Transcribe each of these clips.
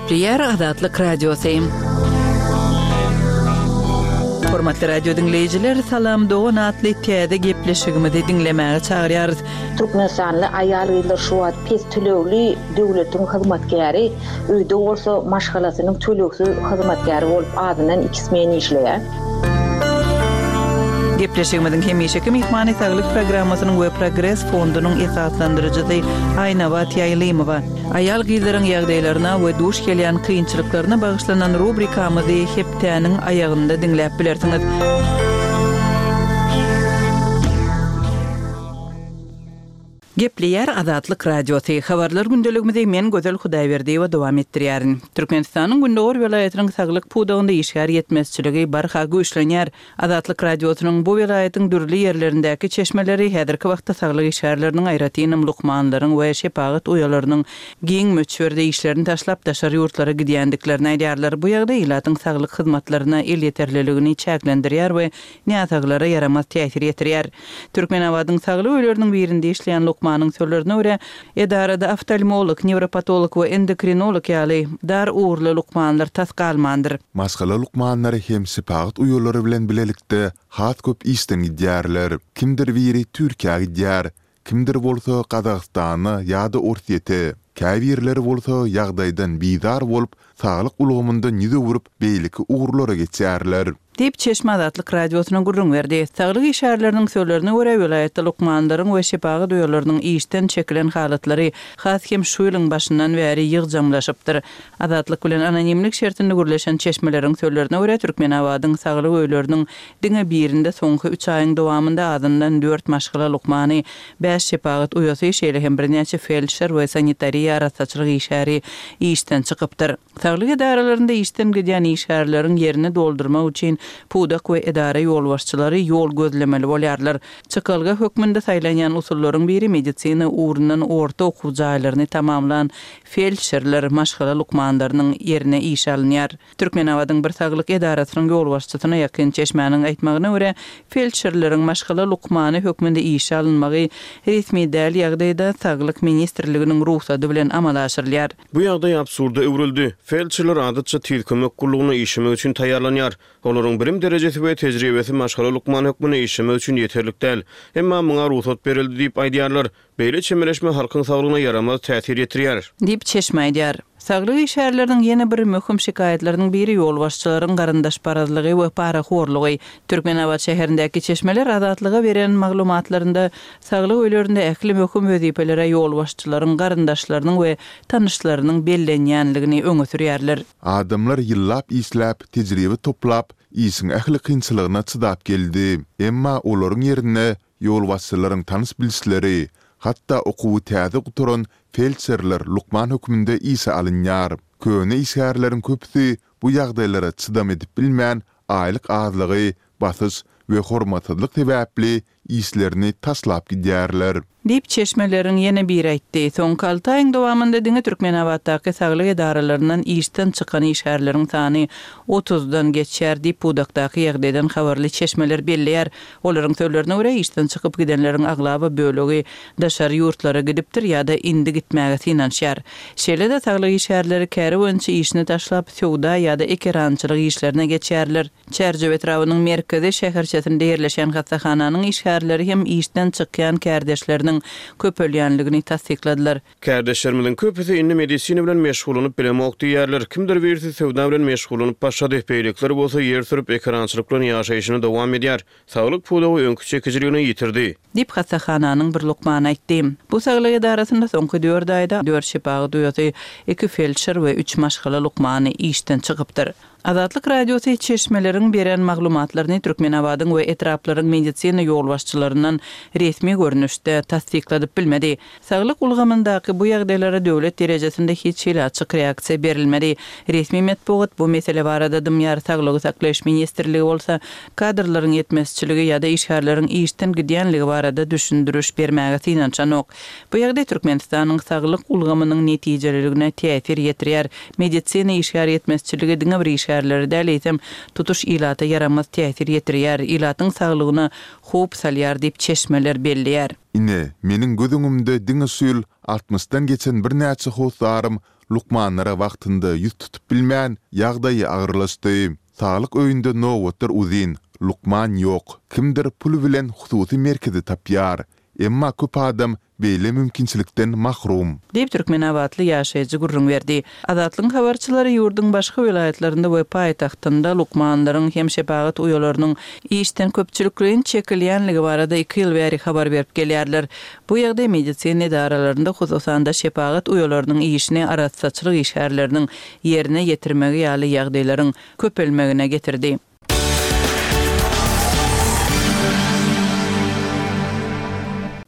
Gepleýär Azatlyk Radiosy. Hormatly radio diňleýjiler, Salam dogan atly täze gepleşigimizi diňlemäge çagyrýarys. Türkmenistanly aýal-gyzlar şu wagt pes tölegli döwletiň hyzmatkäri, öýde bolsa maşgalasynyň tölegsiz hyzmatkäri bolup azyndan iki smen işleýär. Gepleşigimiziň hemişeki myhmany Saglyk programmasynyň we Progres fondunyň esaslandyryjysy Aýnabat Ýaýlymowa. Aýal-gyzlaryň ýagdaýlaryna we duş gelýän kynçylyklaryna bagyşlanan rubrikamyzy hepdäniň aýagynda diňläp bilersiňiz. Gepleýär Azatlyk Radiosy, Habarlar gündeligimizi men Gözel Hudaýberdiýewa dowam etdirýärin. Türkmenistanyň gündogar welaýatynyň saglyk pudagynda işgär ýetmezçiligi barha güýçlenýär. Azatlyk Radiosynyň bu welaýatyň dürli ýerlerindäki çeşmeleri häzirki wagtda saglyk işgärleriniň, aýratynam lukmanlaryň we şepagat uýalarynyň giň möçberde işlerini taşlap daşary ýurtlara gidýändiklerini aýdýarlar. Bu ýagdaý ilatyň saglyk hyzmatlaryna elýeterliligini çäklendirýär we näsaglara ýaramaz täsir ýetirýär. Türkmenabadyň saglyk öýleriniň birinde işleýän lukmanyň sözlerine görä, edarada oftalmolog, newropatolog we endokrinolog ýaly dar ugurly lukmanlar tas galmandyr. Maşgala lukmanlary hem şepagat uýalary bilen bilelikde has köp işden gidýärler. Kimdir biri Türkiýä gidýär, kimdir bolsa Gazagystana ýa-da Orsýete. Käbirleri bolsa ýagdaýdan bizar bolup, saglyk ulgamyndan ýüz öwrüp, beýleki ugurlara geçýärler. Diýip, çeşme Azatlyk Radiosyna gürrüň berdi. Saglyk işgärleriniň sözlerine görä, welaýatda lukmanlaryň we şepagat uýalarynyň işden çekilen halatlary has hem şu ýylyň başyndan bäri ýygjamlaşypdyr. Azatlyk bilen anonimlik şertinde gürleşen çeşmeleriň sözlerine görä, Türkmenabadyň saglyk öýleriniň diňe birinde soňky üç aýyň dowamynda azyndan dört maşgala lukmany, bäş şepagat uýasy, şeýle hem birnäçe feldşer we sanitariýa-arassaçylyk işgäri işden çykypdyr. Saglyk edaralarynda işden gidýän işgärleriň ýerini doldurmak üçin pudak we edara ýolbaşçylary ýol gözlemeli bolýarlar. Çykalga hökmünde saýlanýan usullaryň biri medisina ugrundan orta okuw jaýlaryny tamamlan feldşerler, maşgala lukmanlarynyň ýerine işe alynýar. Türkmenabadyň bir saglyk edarasynyň ýolbaşçysyna ýakyn çeşmäniň aýtmagyna görä, feldşerleriň maşgala lukmany hökmünde işe alynmagy resmi däl ýagdaýda Saglyk ministrliginiň rugsady bilen amala aşyrylýar. Bu ýagdaý absurda öwrüldi. Feldşerler adatça tiz kömek gullugyna işlemek üçin taýýarlanýar. Olaryň bilim derejesi we tejribesi maşgala lukmany hökmünde işlemek üçin ýeterlik däl. Emma muňa rugsat berildi diýip aýdýarlar. Beýle çemeleşme halkyň saglygyna ýaramaz täsir ýetirýär. Diýip, çeşme aýdýar. Saglyk işgärleriniň ýene bir möhüm şikaýatlarynyň biri ýolbaşçylaryň garyndaşparazlygy we parahorlugy. Türkmenabat şäherindäki çeşmeler Azatlyga beren maglumatlarynda saglyk öýlerinde ähli möhüm wezipelere ýolbaşçylaryň garyndaşlarynyň we tanyşlarynyň bellenýänligini öňe sürýärler. Adamlar ýyllap işläp, tejribe toplap, işiň ähli kynçylygyna çydap geldi. Emma olaryň ýerine ýolbaşçylaryň tanyş-bilişleri, hatda okuwy täze gutaran feldşerler lukman hökmünde işe alynýar. Köne işgärleriň köpüsi bu ýagdaýlara çydam edip bilmän, aýlyk azlygy, basyş we hormatsyzlyk sebäpli işlerini taşlap gidýärler. Diýip, çeşmeleriň ýene biri aýtdy. Soňky alty aýyň dowamynda diňe Türkmenabatdaky saglyk edaralaryndan işden çykan işgärleriň sany otuzdan geçýär diýip, pudakdaky ýagdaýdan habarly çeşmeler belleýär. Olaryň sözlerine görä, işden çykyp gidenleriň aglaba bölegi daşary ýurtlara gidipdir ýa-da indi gitmäge synanyşýar. Şeýle-de, saglyk işgärleri käri boýunça işini taşlap, söwda ýa-da ekerançylyk işlerine geçýärler. Çärjew etrabynyň merkezi şäherçesinde ýerleşýän hassahananyň işgärleri hem işden çykýan kärdeşleriniň köpelýänligini tassykladylar. Kärdeşlerimiziň köpüsi indi medisina bilen meşgullanyp bilemok diýýärler. Kimdir birisi söwda bilen meşgullanyp başlady, beýlekiler bolsa ýer sürüp, ekerançylyk bilen ýaşaýşyny dowam edýär. Saglyk pudagy öňki çekijiligini ýitirdi. Diýip, hassahananyň bir lukmany aýtdy. Bu saglyk edarasynda soňky dört aýda dört şepagat uýasy, iki feldşer we üç maşgala lukmany işden çykypdyr. Azatlyk Radiosy çeşmeleriň beren maglumatlaryny Türkmenabadyň we etraplaryň medisina ýolbaşçylaryndan resmi görnüşde tassykladyp bilmedi. Saglyk ulgamyndaky bu ýagdaýlara döwlet derejesinde hiç hili açyk reaksiýa berilmedi. Resmi metbugat bu mesele barada dymýar, Saglygy saklaýyş ministrligi bolsa kadrlaryň ýetmezçiligi ýa-da işgärleriň işden gidýänligi barada düşündiriş bermäge synanyşanok. Bu ýagdaý Türkmenistanyň saglyk ulgamynyň netijeliligine täsir ýetirýär. Medisina işgär ýetmezçiligi diňe bir işgär. işgärlere däl, eýsem, tutuş ilata ýaramaz täsir ýetirýär, ilatyň saglygyna howp salýar diýip, çeşmeler belleýär. Ine, meniň göz öňümde diňe şu ýyl altmyşdan geçen birnäçe hossarym lukmanlara wagtynda ýüz tutup bilmän, ýagdaýy agyrlaşdy. Saglyk öýünde nobatlar uzyn, lukman ýok. Kimdir pul bilen hususy merkezi tapýar. Emma köp adam beýle mümkinçilikden mahrum. Diýip, türkmenabatly ýaşaýjy gürrüň berdi. Azatlygyň habarçylary ýurduň başga welaýatlarynda we paýtagtynda lukmanlaryň hem şepagat uýalarynyň işden köpçülikleýin çekilýänligi barada iki ýyl bäri habar berip gelýärler. Bu ýagdaý medisina edaralarynda, hususan-da, şepagat uýalarynyň işini arassaçylyk işgärleriniň ýerine ýetirmegi ýaly ýagdaýlaryň köpelmegine getirdi.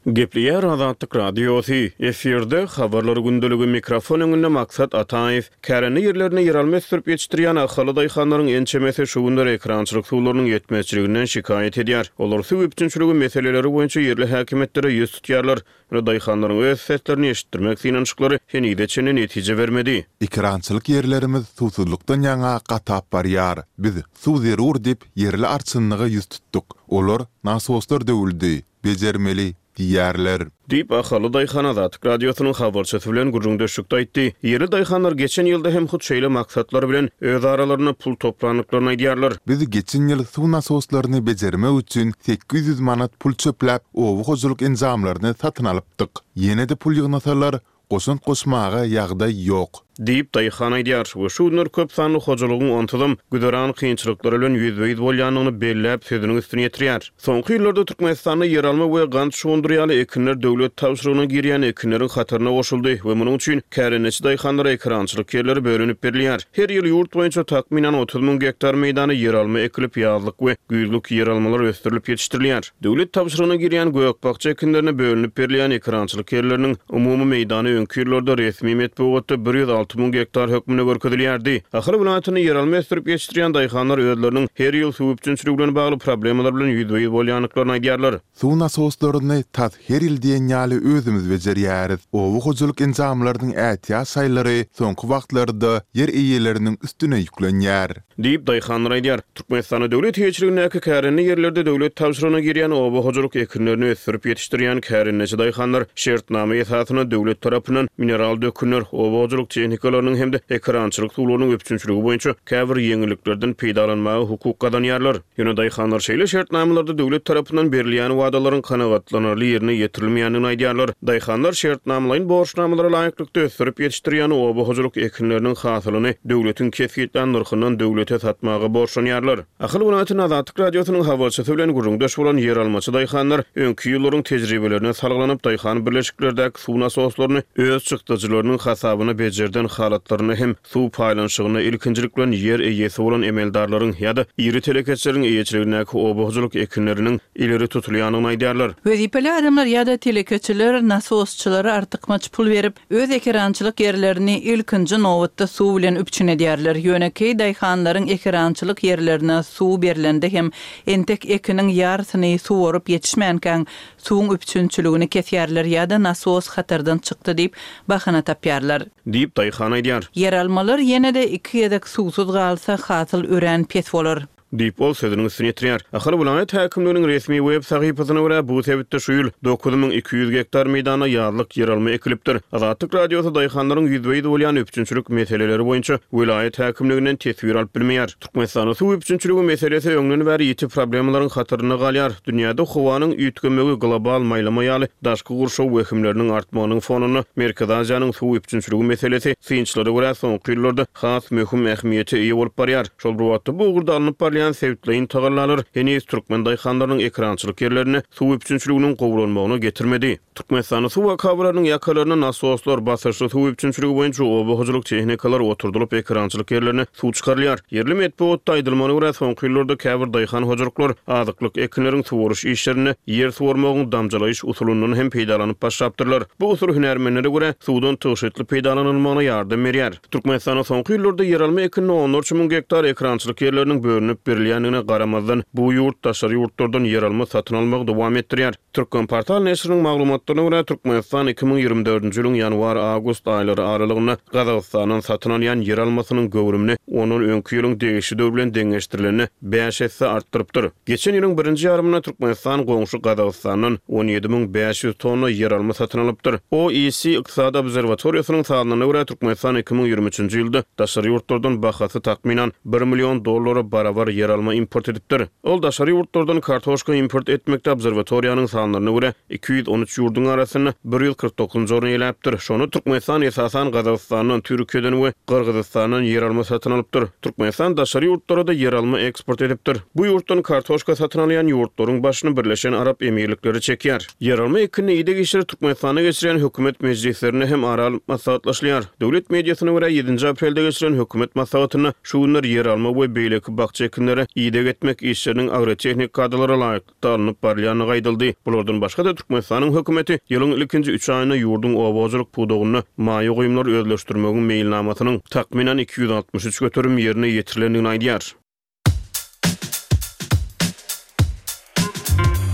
Gepleýär Azatlyk Radiosy, efirde, Habarlar gündeligi, mikrofon öňünde Maksat Ataýew. Kärende ýerlerinde ýeralma ösdürip ýetişdirýän ahally daýhanlaryň ençemesi şu günler ekerançylyk suwlarynyň ýetmezçiliginden şikaýat edýär. Olar suw üpjünçiligi meseleleri boýunça ýerli häkimiýetlere ýüz tutýarlar. Ýöne daýhanlaryň öz seslerini eşitdirmek synanyşyklary henize çenli netije bermedi. Ekerançylyk ýerlerimiz suwsuzlykdan ýaňa gatap barýar. Biz suw zerur diýip, ýerli arçynlyga ýüz tutduk. Olar, Nasoslar döwüldi, bejermeli diýýärler. Diýip, ahally daýhan Azatlyk Radiosynyň habarçysy bilen gürrüňdeşlikde aýtdy. Ýerli daýhanlar geçen ýylda hem hut şeýle maksatlar bilen öz aralarynda pul toplandyklaryny aýdýarlar. Biz geçen ýyl suw nasoslaryny bejermek üçin 800 manat pul çöpläp, oba hojalyk enjamlaryny satyn alypdyk. Ýene-de pul ýygnasalar, goşant goşmaga ýagdaý ýok. Diýip, daýhan aýdýar we şu günler köp sanly hojalygyň onsuzam güzeran kynçylyklary bilen ýüzbe-ýüz bolýandygyny belläp, sözüniň üstüni ýetirýär. Soňky ýyllarda Türkmenistanda ýeralma we gant şugundyry ýaly ekinler döwlet tabşyrygyna girýän ekinleriň hataryna goşuldy we munuň üçin kärendeçi daýhanlara ekerançylyk ýerleri bölünip berilýär. Her ýyl ýurt boýunça takmynan 30 müň gektar meýdana ýeralma ekilip, ýazlyk we güýzlük ýeralmalar ösdürilip ýetişdirilýär. Döwlet tabşyrygyna girýän gök-bakja ekinlerine bölünip berilýän ekerançylyk ýerleriniň umumy meýdany öňki ýyllarda resmi metbugatda 106 müň gektar hökmünde görkezilýärdi. Ahal welaýatynda ýeralma ösdürip ýetişdirýän daýhanlar özleriniň her ýyl suw üpjünçiligi bilen bagly problemalar bilen ýüzbe-ýüz bolýandyklaryny aýdýarlar. Suw nasoslaryny tas her ýyl diýen ýaly özümiz bejerýäris. Oba hojalyk enjamlarynyň ätiýaç şaýlary soňky wagtlarda ýer eýeleriniň üstüne ýüklenýär. Diýip, daýhanlar aýdýar. Türkmenistanda döwlet eýeçiligindäki kärende ýerlerde döwlet tabşyrygyna girýän oba hojalyk ekinlerini ösdürip ýetişdirýän kärendeçi daýhanlar şertnama esasynda döwlet tarapyndan mineral dökünler, oba hojalyk tehnikalarynyň hem-de ekerançylyk suwlarynyň üpjünçiligi boýunça käbir ýeňilliklerden peýdalanmaga hukuk gazanýarlar. Ýöne daýhanlar şeýle şertnamalarda döwlet tarapyndan berilýän wadalaryň kanagatlanarly ýerine ýetirilmeýändigini aýdýarlar. Daýhanlar şertnamalaýyn borçnamalara laýyklykda ösdürip ýetişdirýän oba hojalyk ekinleriniň hasylyny döwletiň kesgitlän nyrhyndan döwlete satmaga borçlanýarlar. Ahal welaýatynda Azatlyk Radiosynyň habarçysy bilen gürrüňdeş bolan ýeralmaçy daýhanlar öňki ýyllaryň tejribelerine salgylanyp, daýhan birleşiklerdäki suw nasoslaryny öz çykdajylarynyň hasabyna bejerden halatlarynda hem Suw paýlanyşygynda ilkinjilik bilen ýer eýesi bolan emeldarlaryň ýa-da iri telekeçileriň eýeçiligindäki oba hojalyk ekinleriniň ileri tutulýandygyny aýdýarlar. Wezipeli adamlar ýa-da telekeçiler nasosçylara artykmaç pul berip, öz ekerançylyk ýerlerini ilkinji nobatda suw bilen üpjün edýärler. Ýönekeý daýhanlaryň ekerançylyk ýerlerine suw berlende hem entek ekiniň ýarysyny suwaryp ýetişmänkäň suwuň üpjünçiligini kesýärler ýa-da nasos hatardan çykdy diýip bahana tapýarlar. Diýip, daýhan aýdýar. Ýeralmalar ýene-de iki gezek suwsuz galsa, hasyl örän pes bolar. Diýip, ol sözüniň üstüni ýetirýär. Ahal welaýat häkimliginiň resmi web sahypasyna görä, bu sebitde şu ýyl 9200 gektar meýdanda ýazlyk ýeralma ekilipdir. Azatlyk Radiosy daýhanlaryň ýüzbe-ýüz bolýan üpjünçilik meseleleri boýunça welaýat häkimliginden teswir alyp bilmeýär. Türkmenistanda suw üpjünçiligi meselesi öňden bäri ýiti problemalaryň hatarynda galýar. Dünýäde howanyň üýtgemegi, global maýlama ýaly daşky gurşaw wehimleriniň artmagynyň fonunda Merkezi Aziýanyň suw üpjünçiligi meselesi, synçylara görä, soňky ýyllarda has möhüm ähmiýete eýe bolup barýar. Şol bir wagtda, bu ugurda alnyp barylýan sebitleýin tagallalar heniz türkmen daýhanlarynyň ekerançylyk ýerlerinde suw üpjünçiliginiň gowulanmagyna getirmedi. Türkmenistanda suw akabalarynyň ýakalaryna nasoslar, basyşly suw üpjünçiligi boýunça oba hojalyk tehnikalary oturdylyp, ekerançylyk ýerlerine suw çykarylýar. Ýerli metbugatda aýdylmagyna görä, soňky ýyllarda käbir daýhan hojalyklar azyklyk ekinleriň suwaryş işlerinde ýer suwarmagyň damjalaýyş usulyndan hem peýdalanyp başlapdyrlar. Bu usul hünärmenlere görä, suwdan tygşytly peýdalanylmagyna ýardam berýär. Türkmenistanda soňky ýyllarda ýeralma ekinine onlarça müň gektar ekerançylyk ýerleriniň bölünip. berilýändigine garamazdan, bu ýurt daşary ýurtlardan ýeralma satyn almagy dowam etdirýär. Türkmenportal neşiriniň maglumatlaryna görä, Türkmenistan 2024-nji ýylyň ýanwar-awgust aýlary aralygynda Gazagystandan satyn alýan ýeralmasynyň göwrümini ondan öňki ýylyň degişli döwri bilen deňeşdirilende bäş esse artdyrypdyr. Geçen ýylyň birinji ýarymynda Türkmenistan goňşy Gazagystandan 17 500 tonna ýeralma satyn alypdyr. OEC ykdysady obserwatoriýasynyň sanlaryna görä, Türkmenistan 2023-nji ýylda daşary ýurtlardan bahasy takmynan bir million dollara barabar ýeralma import edipdir. Ol daşary ýurtlardan kartoşka import etmekde obserwatoriýanyň sanlaryna görä, 213 ýurduň arasynda 149-njy orny eýeläpdir. Şonda Türkmenistan esasan Gazagystandan, Türkiýeden we Gyrgyzystandan ýeralma satyn alypdyr. Türkmenistan daşary ýurtlara-da ýeralma eksport edipdir. Bu ýurtdan kartoşka satyn alýan ýurtlaryň başyny Birleşen Arap Emirlikleri çekýär. Ýeralma ekinine ideg işleri Türkmenistanda geçirýän hökümet mejlislerinde hem ara alnyp maslahatlaşylýar. Döwlet mediasyna görä, ýedinji aprelde geçirilen hökümet maslahatynda şu günler ýeralma we beýleki bakja ekinlere ideg etmek işleriniň agrotehnik kadalara laýyklykda alnyp barylýandygy aýdyldy. Bulardan başga-da, Türkmenistanyň hökümeti ýylyň ilkinji üç aýynda ýurduň oba hojalyk pudagynda maýa goýumlary özleşdirmegiň meýilnamasynyň takmynan 263 göterim ýerine ýetirilendigini aýdýar.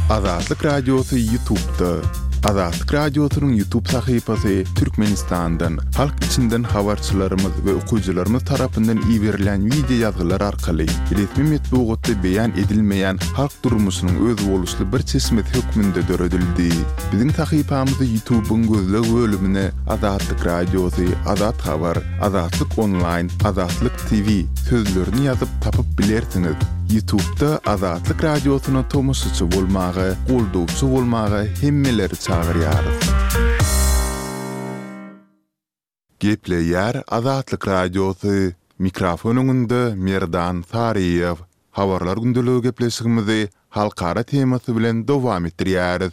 Azatlyk Radiosy Ýutubda. Azatlyk Radiosynyň Ýutub sahypasy Türkmenistandan, halk içinden habarçylarymyz we okyjylarymyz tarapyndan iberilen wideo ýazgylar arkaly resmi metbugatda beýan edilmeýän halk durmuşynyň özboluşly bir çeşmesi hökmünde döredildi. Biziň sahypamyzy Ýutubyň gözleg bölümine Azatlyk Radiosy, Azat Habar, Azatlyk Onlaýn, Azatlyk TV sözlerini ýazyp tapyp bilersiňiz. Ýutubda Azatlyk Radiosyna tomaşaçy bolmaga, goldawçy bolmaga hemmeleri çagyrýarys. Gepleýär Azatlyk Radiosy, mikrofon öňünde Merdan Saryýew. Habarlar gündeligi gepleşigimizi halkara temasy bilen dowam etdirýäris.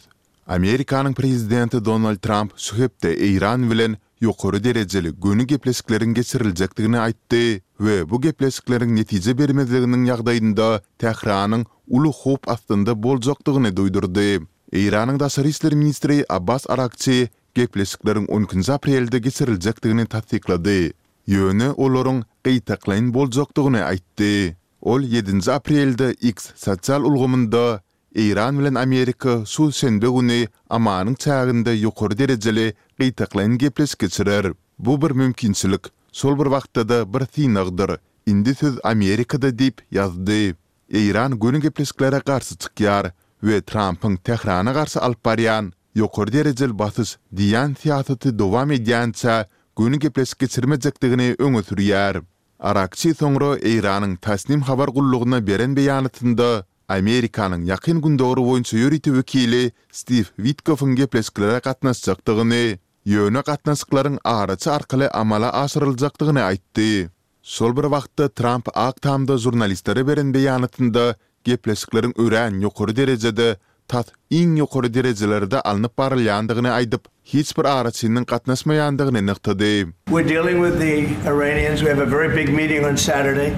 Amerikanyň prezidenti Donald Tramp şu hepde Eýran bilen ýokary derejeli göni gepleşikleriň geçiriljekdigini aýtdy we bu gepleşikleriň netije bermezliginiň ýagdaýynda Tähranyň uly howp astynda boljakdygyny duýdurdy. Eýranyň daşary işler ministri Abbas Aragçi gepleşikleriň on ikinji aprelde geçiriljekdigini tassyklady, ýöne olaryň gytaklaýyn boljakdygyny aýtdy. Ol ýedinji aprelde X sosial ulgamynda Eýran bilen Amerika şu şenbe güni Omanyň çäginde ýokary derejeli gytaklaýyn gepleşik geçirer. Bu bir mümkinçilik, şol bir wagtda-da bir synagdyr. Indi söz Amerikada diýip ýazdy. Eýran göni gepleşiklere garşy çykýar we Trampyň Tährana garşy alyp barýan ýokary derejeli basyş diýýän syýasaty dowam edýänçä göni gepleşik geçirmejekdigini öňe sürýär. Arakçi soňra Eýranyň Tasnim habar gullugyna beren beýanatynda Amerikanyň Ýakyn Gündogar boýunça ýörite wekili Stiw Witkowyň gepleşiklere gatnaşjakdygyny, ýöne gatnaşyklaryň araçy arkaly amala aşyryljakdygyny aýtdy. Şol bir wagtda Tramp Ak Tamda žurnalistlere beren beýanatynda gepleşikleriň örän ýokary derejede, tas iň ýokary derejelerde alnyp barylýandygyny aýdyp, hiç bir araçynyň gatnaşmaýandygyny nygtady. We're dealing with the Iranians, we have a very big meeting on Saturday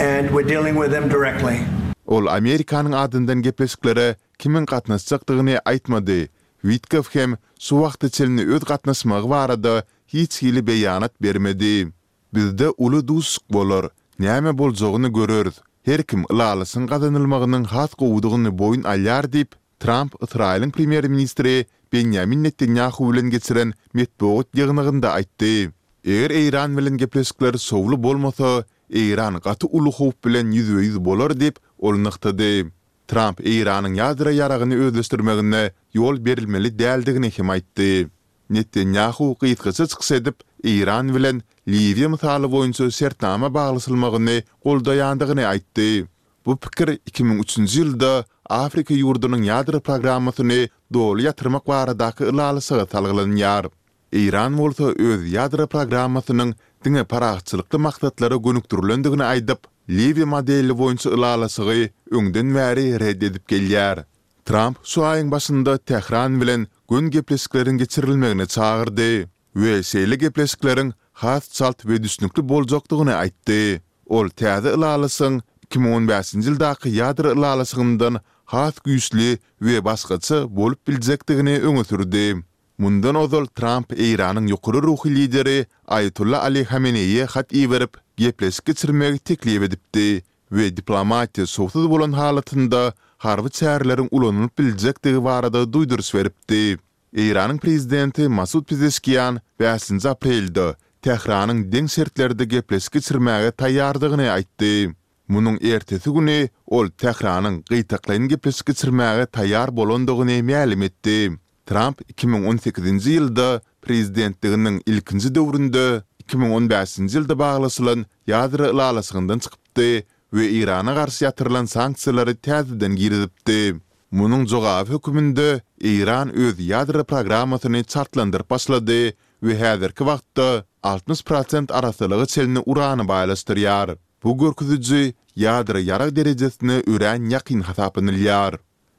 and we're dealing with them directly. Ol Amerikanyň adyndan gepleşiklere kimiň gatnaşjakdygyny aýtmady. Witkow hem şu wagta çenli öz gatnaşmagy barada hiç hili beýanat bermedi. Bizde uly duşuşyk bolar. Näme boljagyny göreris. Her kim ylalaşygyň gazanylmagynyň has gowudygyny boýun alýar diýip, Tramp Ysraýylyň premýer-ministri Benýamin Netanýahu bilen geçiren metbugat ýygnagynda aýtdy. Eger Eýran bilen gepleşikler şowly bolmasa, Eýran gaty uly howp bilen ýüzbe-ýüz bolar diýip, ol nygtady. Tramp Eýranyň ýadro ýaragyny özleşdirmegine ýol berilmeli däldigini hem aýtdy. Netanýahu gysgaça çykyş edip, Eýran bilen Liwiýa mysaly boýunça şertnama baglaşylmagyny goldaýandygyny aýtdy. Bu pikir 2003-nji ýylda Afrika ýurdunyň ýadro programmasyny doly ýatyrmak baradaky ylalaşyga salgylanýar. Eýran bolsa öz ýadro programmasynyň diňe parahatçylykly maksatlara gönükdirilendigini aýdyp, Liwiýa modeli boýunça ylalaşygy öňden bäri ret edip gelýär. Tramp şu aýyň başynda Tähran bilen göni gepleşikleriň geçirilmegine çagyrdy we şeýle gepleşikleriň has çalt we düşnükli boljakdygyny aýtdy. Ol täze ylalaşygyň 2015-nji ýyldaky ýadro ylalaşygyndan has güýçli we başgaça bolup biljekdigini öňe sürdi. Mundan ozal Tramp Eýranyň ýokary ruhy lideri Aýatolla Ali Hameneýe hat iberip, gepleşik geçirmegi teklip edipdi. we diplomatiýa şowsuz bolan halatynda harby çäreleriň ulanylyp biljekdigi barada duýduryş beripdi. Eýranyň prezidenti Masud Pezeşkian bäşinji aprelde Tähranyň deň şertlerde gepleşik geçirmäge taýýardygyny aýtdy. Munuň ertesi güni ol Tähranyň gytaklaýyn gepleşik geçirmäge taýýar bolandygyny mälim etdi. Tramp 2018-nji ýylda prezidentliginiň ilkinji döwründe 2015-nji ýylda baglaşylan ýadro ylalaşygyndan çykypdy we Eýrana garşy ýatyrylan sanksiýalary täzeden girizipdi. Munuň jogaby höküminde Eýran öz ýadro programmasyny çaltlandyryp başlady we häzirki wagtda 60 prosent arassalyga çenli urany baýlaşdyrýar. Bu görkeziji ýadro ýarag derejesine örän ýakyn hasaplanylýar.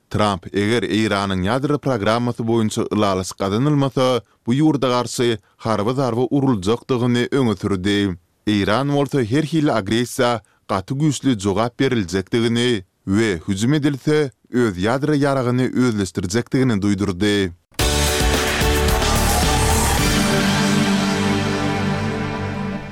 Tramp eger Eýranyň ýadro programmasy boýunça ylalaşyk gazanylmasa, bu ýurda garşy harby zarba uruljakdygyny öňe sürdi. Eýran bolsa her hili agressiýa gaty güýçli jogap beriljekdigini we hüjüm edilse, öz ýadro ýaragyny özleşdirjekdigini duýdurdy.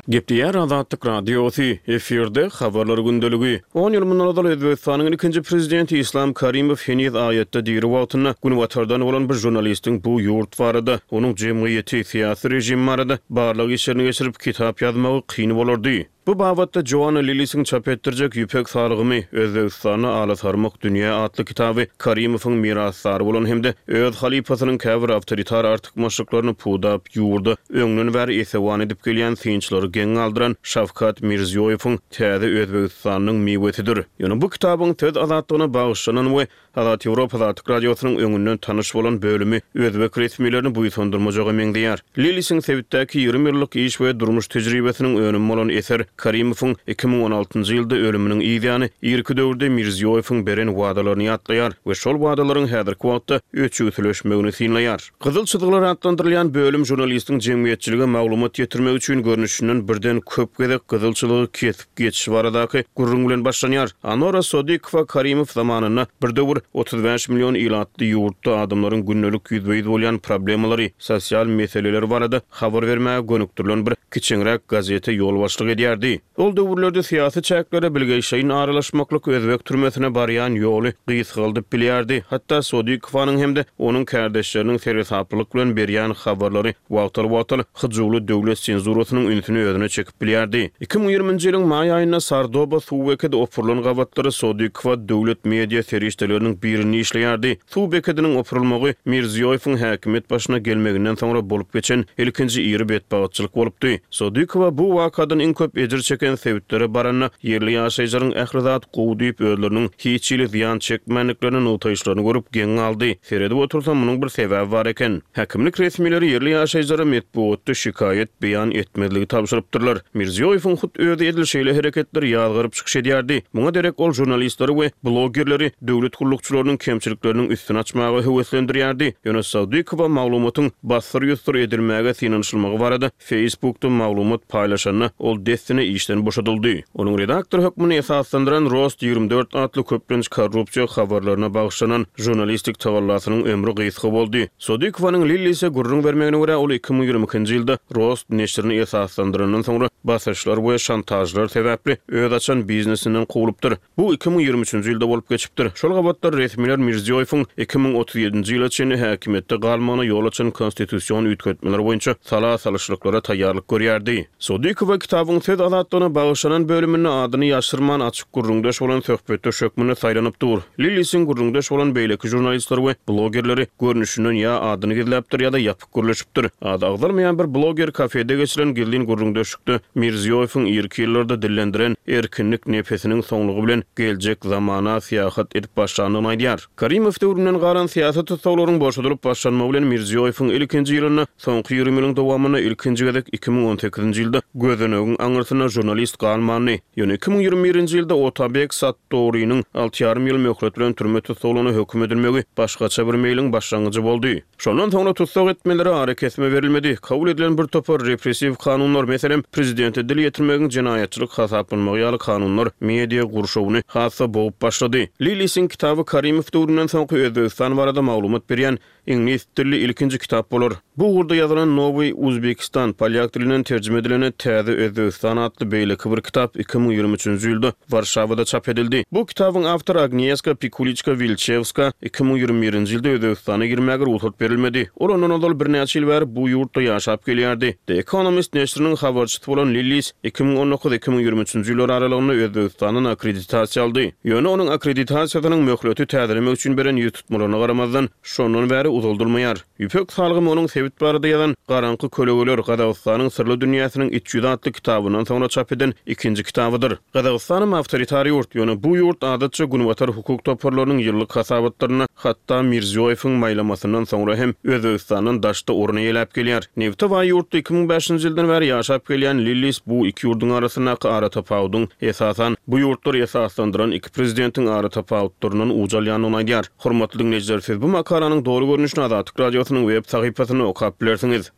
Gepleýär Azatlyk Radiosy, efirde Habarlar gündeligi. On ýyl mundan ozal Özbegistanyň ilkinji prezidenti Islam Karimow heniz aýatda diri wagtynda Günbatardan bolan bir žurnalistiň bu ýurt barada, onuň jemgyýeti, syýasy režimi barada barlag işlerini geçirip, kitap ýazmagy kyn bolardy. Bu babatda Joanna Lillisiň çap etdirjek Ýüpek salgymy, Özbegistanda alasarmyk dünýä atly kitaby Karimowyň mirasdary bolan hem-de öz halypasynyň käbir awtoritar artykmaçlyklaryny pudap, ýurda öňden bäri esewan edip gelýän synçylary geň galdyran Şawkat Mirziýoýewiň täze Özbegistanynyň miwesidir. Ýöne bu kitabyň söz azatlygyna bagyşlanan we Azat Ýewropa Azatlyk Radiosynyň öňünden tanyş bolan bölümi özbek resmilerini buýsandyrmajaga meňzeýär. Lilisiň sebitdäki 20 ýyllyk iş we durmuş tejribesiniň önümi bolan eser Karimowyň 2016-njy ýylda ölüminiň yz ýany irki döwürde Mirziýoýewiň beren wadalaryny ýatlaýar we şol wadalaryň häzirki wagtda öçügsileşmegini synlaýar. Gyzyl çyzgylar atlandyrylýan bölüm žurnalistiň jemgyýetçilige maglumat ýetirmek üçin görnüşinden birden köp gezek gyzyl çyzygy kesip geçişi baradaky gürrüň bilen başlanýar. Anora Sodikowa Karimow zamanynda bir döwür 35 million ilatly ýurtda adamlaryň gündelik ýüzbe-ýüz bolýan problemalary, sosial meseleleri barada habar bermäge gönükdirilen bir kiçeňräk gazete ýolbaşçylyk edýärdi. Ol döwürlerde syýasy çäklere bilgeşleýin aralaşmaklyk özbek türmesine barýan ýoly gysgaldyp bilýärdi. Hatda Sodikowanyň hem-de onuň kärdeşleriniň seresaplylyk bilen berýän habarlary wagtal-wagtal hyjuwly döwlet senzurasynyň ünsüni özüne çekip bilýärdi. 2020-nji ýylyň maý aýynda Sardoba suw bekedi opurylan gabatlary Sodikowa döwlet media serişdeleriniň birinde işleýärdi. Suw bekediniň opurylmagy Mirziýoýewiň häkimiýet başyna gelmeginden soňra bolup geçen ilkinji iri betbagtçylyk bolupdy. Sodikowa bu wakadan iň köp ejir çeken sebitlere baranda, ýerli ýaşaýjylaryň ähli zat gowy diýip, özleriniň hiç hili zyýan çekmändiklerini nygtaýyşlaryny görüp geň galdy. Seredip otursam, munuň bir sebäbi bar eken. Häkimlik resmileri ýerli ýaşaýjylara metbugatda şikaýat beýan etmezligi tabşyrypdyrlar. Mirziýoýewiň hut özi edil şeýle hereketleri ýazgaryp çykyş edýärdi. Muňa derek ol žurnalistleri we blogerleri döwlet gullukçylarynyň kemçilikleriniň üstüni açmaga höweslendirýärdi. Ýöne Sadykowa maglumatyň bassyr-ýussur edilmäge synanyşylmagy barada Facebookda maglumat paýlaşanda, ol dessine işden boşadyldy. Onuň redaktor hökmünde esaslandyran Rost 24 atly köplenç korrupsiýa habarlaryna bagyşlanan žurnalistik tagallasynyň ömri gysga boldy. Sodikowanyň Lillise gürrüň bermegine görä, ol 2022-nji ýylda Rost neşirini esaslandyrandan soňra basyşlar we şantažlar sebäpli öz açan biznesinden kowlupdyr. Bu 2023-nji ýylda bolup geçipdir. Şol gabatlar resmiler Mirziýoýewiň 2037-nji ýyla çenli häkimiýetde galmagyna ýol açan konstitusion üýtgetmeler boýunça sala salyşlyklara taýýarlyk görýärdi. Sodikowa kitabyň söz azatlygyna bagyşlanan bölüminde adyny ýaşyrman açyk gürrüňdeş bolan söhbetdeş hökmünde saýlanyp dur. Lillisiň gürrüňdeş bolan beýleki žurnalistleri we blogerleri görnüşinden ýa adyny gizläpdir ýa-da ýapyk gürleşipdir. Ady agzalmaýan bir bloger kafede geçirilen gizlin gürrüňdeşlikde Mirziýoýewiň irki ýyllarda dillendiren erkinlik nepesiniň soňlugy bilen geljek zamana syýahat edip başlandygyny aýdýar. Karimow döwründen galan syýasy tussaglaryň boşadylyp başlanmagy bilen Mirziýoýewiň ilkinji ýylynda soňky 20 ýylyň dowamynda ilkinji gezek 2018-nji ýylda gözenegiň aňyrsynda žurnalist galmandy. Ýöne 2021-nji ýylda Otabek Sattorynyň alty ýarym ýyl möhlet bilen türme tussaglygyna höküm edilmegi başgaça bir meýliň başlangyjy boldy. Şondan soňra tussag etmelere arakesme berilmedi. Kabul edilen bir topar repressiw kanunlar, meselem, prezidente dil ýetirmegiň jenaýatçylyk hasaplanmagy ýaly kanunlar media gurşawyny has-da bogup başlady. Lillisiň kitaby Karimow döwründen soňky Özbegistan barada maglumat berýän iňlis dilli ilkinji kitap bolar. Bu ugurda ýazylan Nowyý Uzbekistan, polýak dilinden terjime edilende Täze Özbegistan atly. atly beýleki bir kitap 2023-nji ýylda Warşawada çap edildi. Bu kitabyň awtory Agniýeska Pikuliçka-Wilçewska 2021-nji ýylda Özbegistana girmäge rugsat berilmedi. Ol ondan ozal birnäçe ýyl bäri bu ýurtda ýaşap gelýärdi. The Economist neşiriniň habarçysy bolan Lillis 2019, 2023-nji ýyllar aralygynda Özbegistandan akkreditasiýa aldy. Ýöne onuň akkreditasiýasynyň möhleti täzelemek üçin beren ýüztutmalaryna garamazdan, şondan bäri uzaldylmaýar. Ýüpek salgymy onuň sebit barada ýazan Garaňky kölegeler, Gazagystanyň syrly dünýäsiniň iç ýüzi atly kitabyndan soňra çap eden ikinji kitabydyr. Gazagystanam awtoritar ýurt, ýöne bu ýurt adatça günbatar hukuk toparlarynyň ýyllyk hasabatlarynda hatda Mirziýoýewiň maýlamasyndan soňra hem Özbegistandan daşda orun eýeläp gelýär. Nebte baý ýurtda 2005-nji ýyldan bäri ýaşap gelýän Lillis bu iki ýurduň arasyndaky aratapawudyň esasan bu ýurtlary esaslandyran iki prezidentiň aratapawutlaryndan uç alýandygyny aýdýar. Hormatly diňleýjiler, siz bu makalanyň doly görnüşini Azatlyk Radiosynyň web sahypasynda okap bilersiňiz.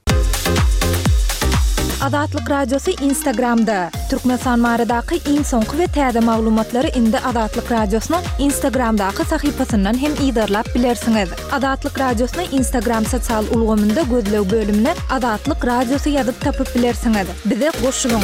Azatlyk Radiosy Instagramda! Türkmenistan baradaky iň soňky we täze maglumatlary indi Azatlyk Radiosynyň Instagramdaky sahypasyndan hem yzarlap bilersiňiz. Azatlyk Radiosyny Instagram sosial ulgamynda gözleg bölümine Azatlyk Radiosy ýazyp tapyp bilersiňiz. Bize goşulyň!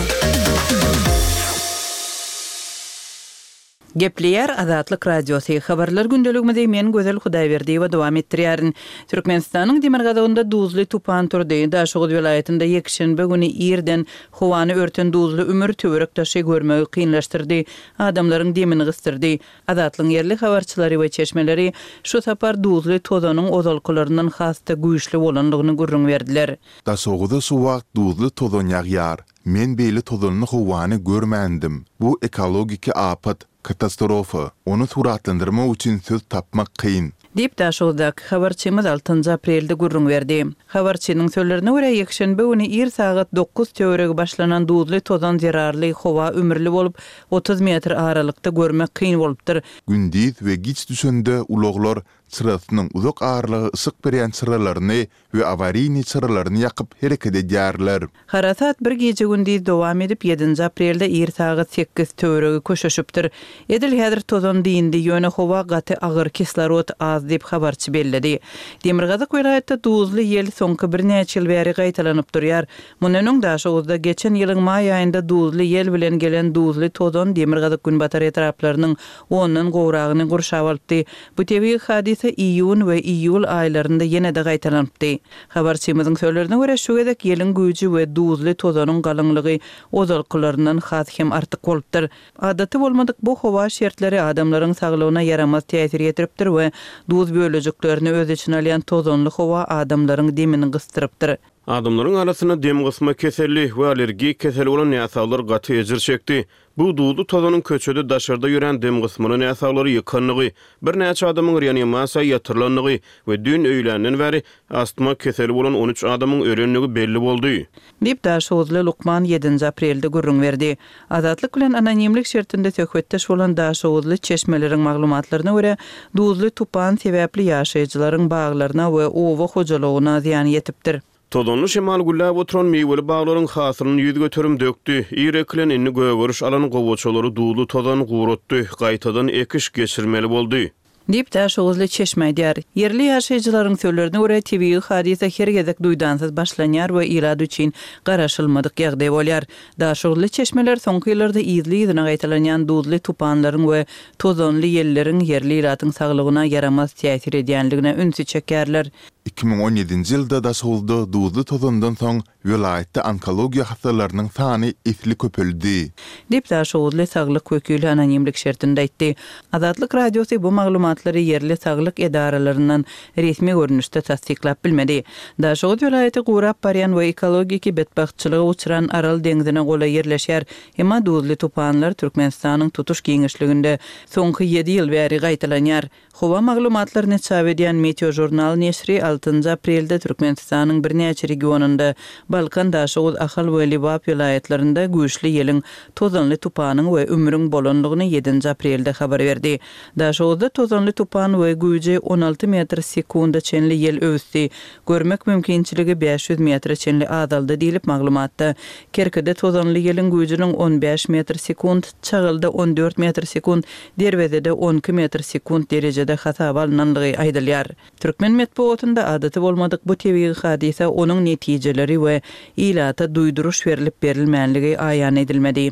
Gepleýär Azatlyk Radiosy, Habarlar gündeligimizi men Gözel Hudaýberdiýewa dowam etdirýärin. Türkmenistanyň demirgazygynda duzly tupan turdy. Daşoguz welaýatynda ýekşenbe güni irden howany örten duzly ümür töwerek-daşy görmegi kynlaşdyrdy, adamlaryň demini gysdyrdy. Azatlygyň ýerli habarçylary we çeşmeleri şu sapar duzly tozanyň ozalkylaryndan has-da güýçli bolandygyny gürrüň berdiler. Daşoguza şu wagt duzly tozan ýagýar. Men beýle tozanly howany görmändim. Bu ekologiki apat, katastrofa. Ony suratlandyrmak üçin söz tapmak kyn. Diýip, Daşoguzdaky habarçymyz altynjy aprelde gürrüň berdi. Habarçynyň sözlerine görä, ýekşenbe güni ir sagat dokuz töweregi başlanan duzly tozan zerarly howa ümürli bolup, 30 metr aralykda görmek kyn bolupdyr. Gündiz we giç düşende ulaglar çyrasynyň uzak aralyga yşyk berýän çyralaryny we awariýnyý çyralaryny ýakyp hereket edýärler. Harasat bir gije-gündiz dowam edip, ýedinji aprelde ir sagat sekiz töweregi köşeşipdir. Edil häzir tozan dyndy, ýöne howa gaty agyr, kislorod az diýip, habarçy belledi. Demirgazyk welaýatda duzly ýel soňky birnäçe ýyl bäri gaýtalanyp durýar. Mundan öň Daşoguzda geçen ýylyň maý aýynda duzly ýel bilen gelen duzly tozan demirgazyk-günbatar etraplarynyň ondan gowragyny gurşap alypdy. Bu tebigy hadysa iýun we iýul aýlarynda ýene-de gaýtalanypdy. Habarçymyzyň sözlerine görä, şu gezek ýeliň güýji we duzly tozanyň galyňlygy ozalkylaryndan has hem artyk bolupdyr. Adaty bolmadyk bu howa şertleri adamlaryň saglygyna ýaramaz täsir ýetiripdir we duz bölejiklerini öz içine alýan tozanly howa adamlaryň demini gysdyrypdyr. Adamlaryň arasynda dem gysma keselli we allergik keseli bolan näsaglar gaty ejir çekdi. Bu duzly tozanyň köçede daşarda ýörän dem gysmaly näsaglary ýykandygy, birnäçe adamyň reanimasiýa ýatyrylandygy we düýn öýländen bäri astma keseli bolan 13 adamyň ölendigi belli boldy. Diýip, daşoguzly lukman ýedinji aprelde gürrüň berdi. Azatlyk bilen anonimlik şertinde söhbetdeş bolan daşoguzly çeşmeleriň maglumatlaryna görä, duzly tupan sebäpli ýaşaýjylaryň baglaryna we oba hojalygyna zyýan ýetipdir. Tozanly şemal gülläp oturan miweli baglaryň hasylyny 100% dökdi. Ir ekilen, indi gögeriş alan gowaçalary duzly tozan guratdy, gaýtadan ekiş geçirmeli boldy. Diýip, daşoguzly çeşme aýdýar. Ýerli ýaşaýjylaryň sözlerine görä, tebigy hadysa her gezek duýdansyz başlanýar we ilat üçin garaşylmadyk ýagdaý bolýar. Daşoguzly çeşmeler soňky ýyllarda yzly-yzyna gaýtalanýan duzly tupanlaryň we tozanly ýelleriň ýerli ilatyň saglygyna ýaramaz täsir edýändigine ünsi çekýärler. 2017-nji ýylda Daşoguzda duzly tozandan soň welaýatda onkologiýa hassalarynyň sany esli köpeldi. Diýip, daşoguzly saglyk wekili anonimlik şertinde aýtdy. Azatlyk Radiosy bu maglumatlary ýerli saglyk edaralaryndan resmi görnüşde tassyklap bilmedi. Daşoguz welaýaty gurap barýan we ekologiki betbagtçylyga uçran Aral deňzine golaý ýerleşýär. Emma duzly tupanlar Türkmenistanyň tutuş giňişliginde soňky ýedi ýyl bäri gaýtalanýar. Howa maglumatlaryny çap edýän Meteožurnal neşiri altynjy aprelde Türkmenistanyň birnäçe regionynda, Balkan, Daşoguz, Ahal we Lebap welaýatlarynda güýçli ýeliň, tozanly tupanyň we ümrüň bolandygyny ýedinji aprelde habar berdi. Daşoguzda tozanly tupan we güýji 16 metr sekunda çenli ýel öwüsdi. Görmek mümkinçiligi 500 metre çenli azaldy diýlip, maglumatda. Kerkide tozanly ýeliň güýjüniň 15 metr sekunt, Çagylda 14 metr sekunt, Derwezede 12 metr sekunt derejede. derejede hasaba alnanlygy aýdylýar. Türkmen metbugatynda adaty bolmadyk bu tebigy hadysa, onuň netijeleri we ilata duýduryş berlip-berilmänligi aýan edilmedi.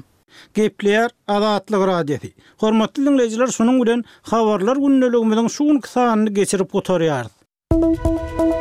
Gepleýär Azatlyk Radiosy. Hormatly diňleýjiler şunuň bilen Habarlar gündeligimiziň şu günki sanyny geçirip gutarýarys.